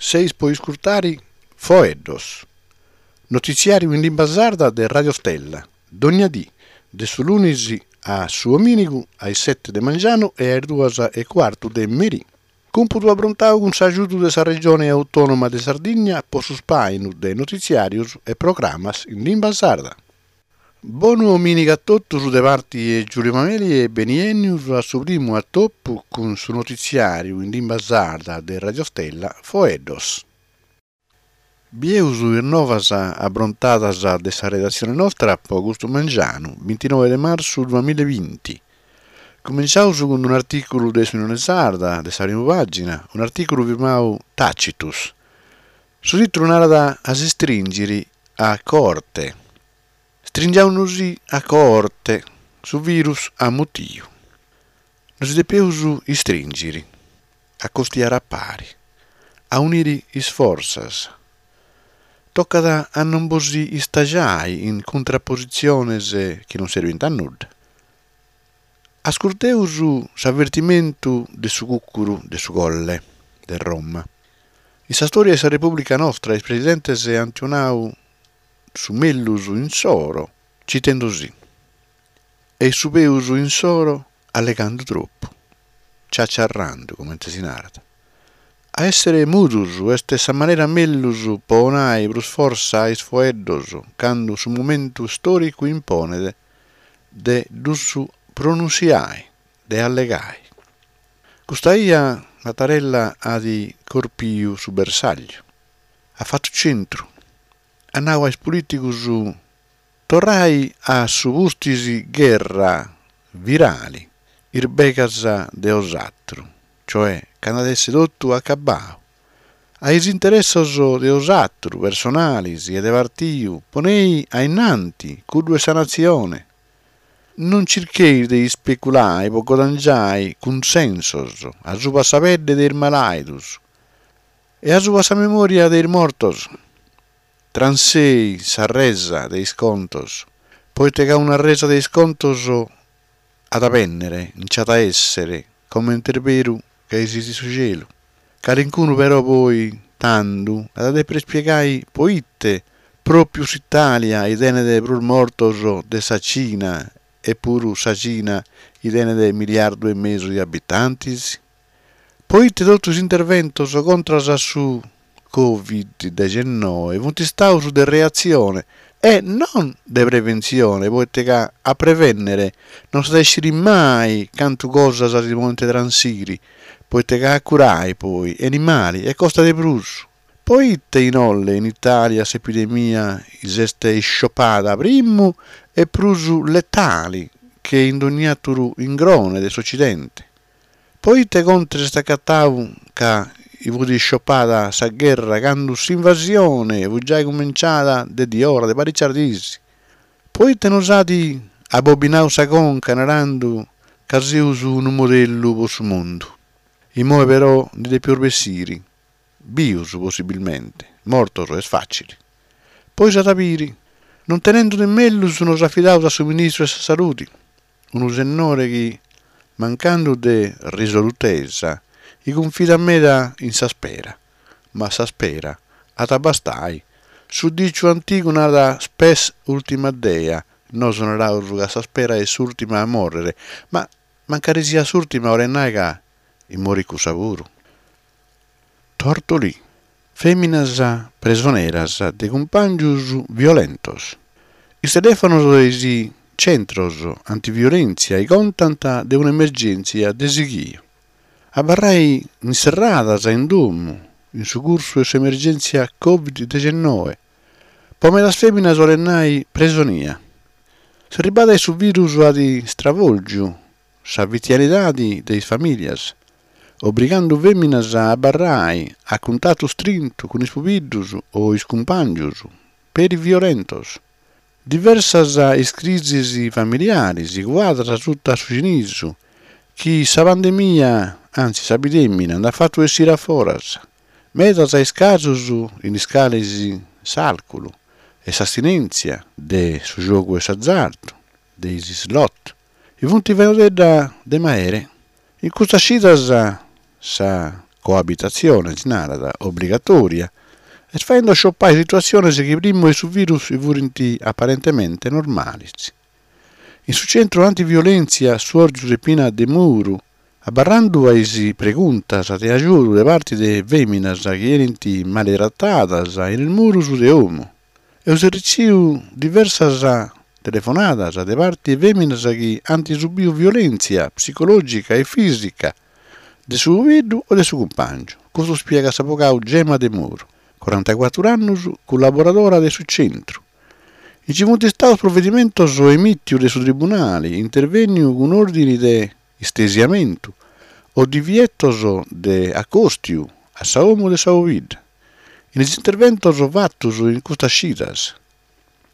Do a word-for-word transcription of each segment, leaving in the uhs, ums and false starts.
Seis po iscurtare Foeddos, notitziàriu in limba sarda de Radio Stella, dònnia die, de su lunis a su domìnigu a is sete de mangianu e a is duas e cuartu de merie. Cumpudu aprontadu cun s'agiudu de sa Regione Autònoma de Sardigna pro su ispàinu de notitziàrios e programmas in limba sarda. Bonu domìnigu a totus de parte de Giulio Mameli e beniènnidos a su primu atopu cun su notitziàriu in limba sarda de Radio Stella Foeddos. Bieus is novas aprontadas de sa redatzione nostra pro custu mangianu, bintinoe de martzu duamilla e binti. Cumentzaus cun un'artìculu de s'Unione Sarda, de sa primu pàgina, un'artìculu firmadu Tacitus. Su tìtulu narat a s'istrìnghere a coorte. Stringiamus a coorte, su virus at mutidu. Nos depimus istrìnghere, acostiare a pare, aunire is fortzas. Tocat a non bos istagiare in cuntrapositziones chi non serbint a nudda. Ascurtemus s'avertimentu de su cùcuru de su Colle de Roma. In sa istòria de sa Repùblica nostra is presidentes ant donadu su mègius issoro citende·si e su peus issoro allegando tropu, ciaciarrando, comente si narat. A èssere mudos est sa manera mègius pro donare prus fortza a is foeddos cando su momentu istòricu imponet de ddos pronuntziare, de allegare. Custa ia Mattarella at corpidu su bersàgliu. At fatu tzentru. At nadu a is polìticos torrai a su pustis gherra virale is begas de bosàteros, cioè cando at èssere totu acabbadu. A is interessos de bosàteros personales e de partidu ponei a in antis cuddu de sa natzione. Non chircheis de ispeculare pro guadangiare cunsensos a subra sa pedde de is malàidos e a subra sa memòria de is mortos. Transei sa resa de is contos, pro ite ca una resa de is contos at a bènnere, nch'at a èssere, comente est beru ca esistit su chelu. Calicunu però poi, tando, at a dèpere ispiegare pro ite pròpiu s'Itàlia tenet prus mortos de sa Tzina e puru sa Tzina tenet milliardu e mesu de abitantes? Pro ite totu is interventos contra a su Covid deghennoe sunt istados de reatzione e non de preventzione, pro ite ca a prevènnere non s'at a ischire mai cantu cosas si podent transire, pro ite ca a curare, poi, benit male e costat de prus. Pro ite inoghe in Itàlia s'epidemia s'est isciopada primu e prus letale che in ogni àteru ingrone de s'Otzidente? Pro ite Conte s'est acatadu ca fiat isciopada sa gherra cando s'invasione fiat giai cumintzada de diora de paritzas dies? Pro ite nos at abobinadu sa conca narende ca semus unu modellu pro su mundu? Immoe però nde depimus bessire, bios possibilmente, mortos est fàtzile. Poi s'at a bìdere. Non tenende de mègius nos afidamus a su ministru de sa Salude, unu sennore chi, mancando de risolutesa, cunfidat meda in s'ispera. Ma s'ispera at a bastare. Su dìciu antigu narat spes ultima dea, nois naramus ca s'ispera est s'ùrtima a mòrrere, ma mancari siat s'ùrtima cheret nàrrere ca morit cussa puru. Tortolì. Fèminas presoneras de cumpàngios violentos. Is telèfonos de is tzentros antiviolèntzia contant de un'emergèntzia de sighidu. Abarrare inserradas in domo in su cursu de s'emergèntzia Covid deghennoe, pro medas fèminas cheret nàrrere presonia. S'arribada de su virus at istravòlgidu sa fitianidade de is famìlias, obrigando fèminas a abarrare a cuntatu istrintu cun is pubiddos o is cumpàngios, peri violentos. Diversas is crisis familiares cuadas suta su chinisu chi sa pandemia, antzis sa pidèmina, nd'at fatu essire a foras. Medas is casos in is cales s'àlcol e s'astinèntzia de su giogu de s'azardu, de is slot, sunt fainodedda de màere. In custas chidas sa coabitatzione si narat, obligatòria, est faende sciopai situatziones chi primu de su virus fiant aparentemente normales. In su tzentru antiviolèntzia Suorgiu Peppina Demuru, abarrende a is pregontas de agiudu de parte de fèminas chi benint maletratadas in is muros de domo, amus retzidu diversas telefonadas de parte de fèminas chi ant subidu violèntzia psicològica e fìsica de su pobiddu o de su cumpàngiu. Custu ispiegat s'abogadu Gemma Demuru, corantacuatro annos, collaboradora de su tzentru. Nche sunt istados provedimentos emìtidos de su tribunale, intervènnidu cun òrdines de istesiamentu o divietos de acòstiu a sa domo de sa pobidda. In is interventos fatos in custas chidas,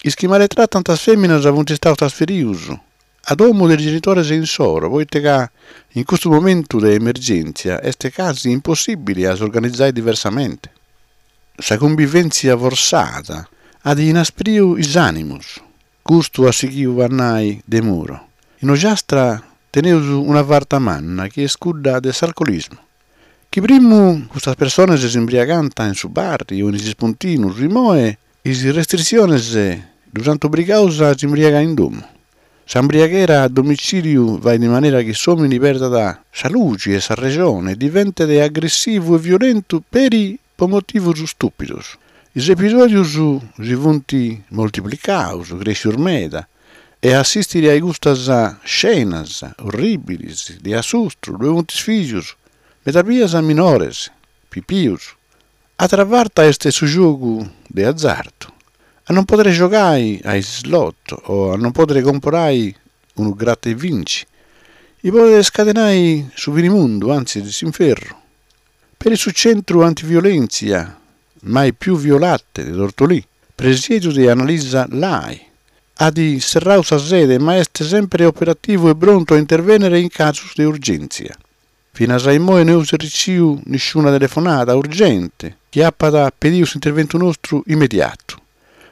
is chi maletratant is fèminas sunt istados trasferidos a domo de is genitores issoro pro ite ca in custu momentu de emergèntzia est casi impossìbile a s'organizare diversamente. Sa cunvivèntzia fortzada at inaspridu is ànimos, custu at sighidu a nàrrere Demuro. In Ogiastra tenimus una farta manna chi est cudda de s'alcolismu. Chi primu custas persones s'imbriagaiant in su bar o in is ispuntinos, immoe is restritziones ddos ant obligados a s'imbriagare in domo. S'imbriaghera a domitzìliu faghet in manera chi s'òmine perdat sa lughe e sa resone e diventet agressivu e violentu peri pro motivos istùpidos. Is episòdios si sunt multiplicados, crèschidos meda, e a assìstere a custas iscenas orrìbiles de assustru ddoe sunt is fìgios, meda bias minores, pipios. Àtera farta est su giogu de azardu. A non pòdere giogare a is slot o a non pòdere comporare unu gratta e vinci, chi podet iscadenare su finimundu, antzis s'inferru. Peri su tzentru antiviolèntzia Mai più violate de Tortolì, presididu de Annalisa Lai, at serradu sa sede ma est semper operativu e prontu a intervènnere in casos de urgèntzia. Finas a immoe no amus retzidu nissuna telefonada urgente chi apat pedidu s'interventu nostru immediatu.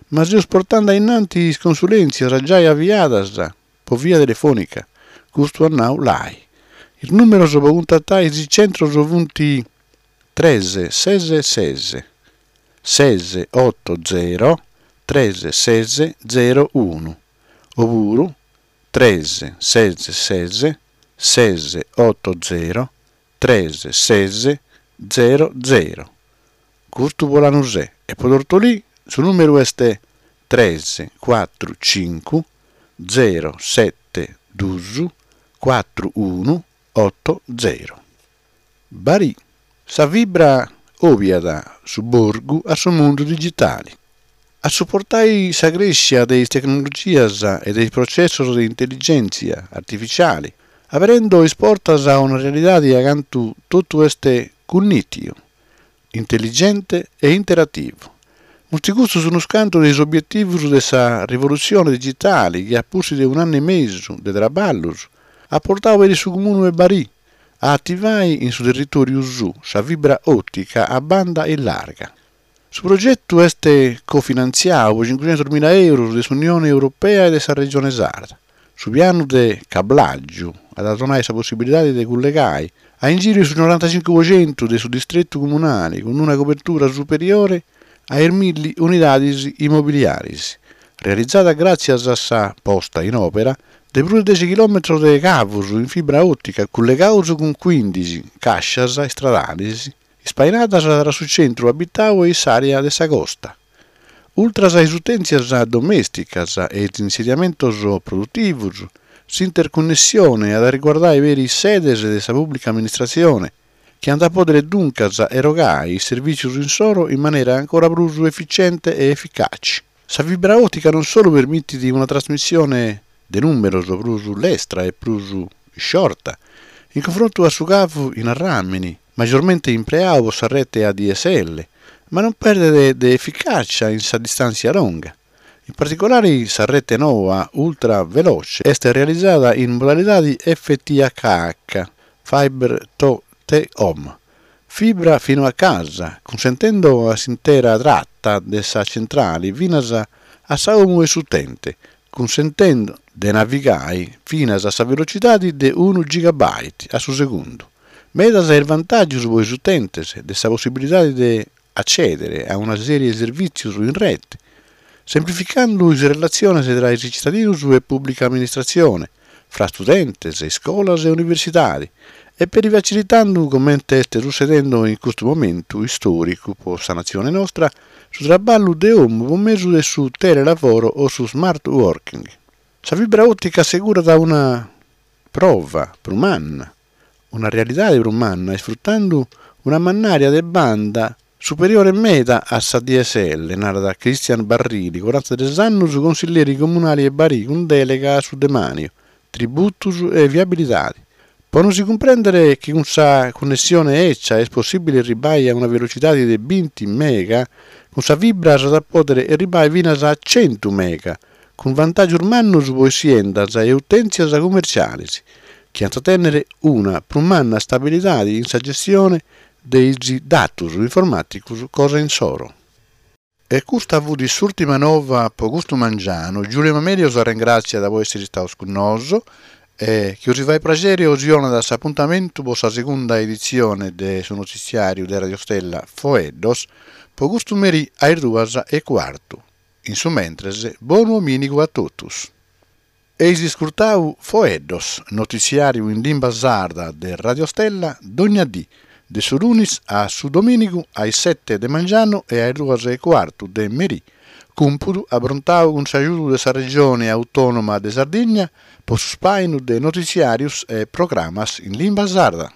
Ma semus portende a in antis is consulèntzias giai aviadas pro via telefònica, custu at nadu Lai. Is nùmeros pro cuntatare is tzentros sunt tres ses ses, ses oto zero, tres ses zero unu, opuru tres ses ses, ses oto zero, tres ses zero zero. Custu pro Lanusè e pro Tortolì su nùmeru est tres cuatru chimbe zero sete duos cuatru unu oto zero. Barì, sa fibra òviat su burgu a su mundu digitale. A suportare sa crèschida de is tecnologias e de is protzessos de intelligèntzia artifitziale, aberende is portas a una realidade acanta totu est cunnìtidu, intelligente e interativu. Sunt custos unos cantos de is obietivos de sa rivolutzione digitale chi, a pustis de un'annu e mesu de traballos, at portadu peri su Comune de Barì a ativare in su territòriu suo sa fibra òtica a banda larga. Su progetu est cofinantziadu pro chimbichentos mila èuros de s'Unione Europea e de sa Regione Sarda. Su pianu de cablàgiu at a donare sa possibilidade de collegare a inghìriu su norantacinche pro chentu de su distretu comunale cun una cobertura superiore a is milli unidades immobiliares, realizada gràtzias a sa posta in òpera de prus de deghe chilòmetros de cavos in fibra òtica collegados cun cuìndighi càscias istradales ispainadas tra su tzentru abitadu e s'àrea de sa costa. Ultres a is utèntzias domèsticas e is insediamentos produtivos, s'interconnessione at a riguardare peri is sedes de sa pùblica amministratzione, chi ant a pòdere duncas erogare is servìtzios issoro in manera ancora prus efitziente e eficatze. Sa fibra òtica non solu permitit una trasmissione de nùmeros prus lestra e prus isciorta, in cunfrontu a su cavu in arràmene, magiormente impreadu pro sa rete A D S L, ma non perdet de eficàtzia in sa distàntzia longa. In particulare sa rete noa ultraveloce est realizada in modalidade F T H H, Fiber to the Home, fibra fino a casa, cunsentende a s'intera trata de sa tzentrale finas a sa domo de s'utente, cunsentende de navigare finas a sa velotzidade de unu gigabyte a su segundu, Medas is vantàgios pro is utentes, de sa possibilidade de atzèdere a una sèrie de servìtzios in rete, semplificende is relatziones tra is tzitadinos e pùblica amministratzione, tra istudentes, iscolas e universidade, e peri fatzilitende, comente est sutzedende in custu momentu istòricu pro sa natzione nostra, su traballu dae domo pro mèdiu de su telelavoro o su smart working. Sa fibra òtica assegurat una prova prus manna, una realidade prus manna isfrutende una mannària de banda superiore meda a sa D S L, narat Christian Barrili, corantatrès annos, consilleri comunale de Barì cun dèlega a su Demàniu, tributos e viabilidade. Pro nos cumprèndere, chi cun sa connessione betza est possìbile arribbare a una velotzidade de binti mega, cun sa fibra s'at a pòdere arribbare finas a chentu mega, cun vantàgios mannos pro siendas e utèntzias cummertziales, chi ant a tènnere una prus manna istabilidade in sa gestione de is datos informàticos cosa issoro. E custa fiat s'ùrtima nova pro custu mangianu. Giulio Mamerio s'arrengràtziat pro èssere istados cun nois e chi bos faghet praghere bos donat s'apuntamentu pro sa segunda editzione de su notitziàriu de Radio Stella Foeddos pro custu merì a is duas e cuartu. In su mentres, bonu domìnigu a totus. Eis iscurtadu Foeddos, notitziàriu in limba sarda de Radio Stella, dogna die, de su lunis a su domìnigu a is sete de mangianu e a is duas e cuartu de merì, cumpudu aprontadu cun s'agiudu de sa Regione Autònoma de Sardigna pro su spàinu de notitziàrios e programmas in limba sarda.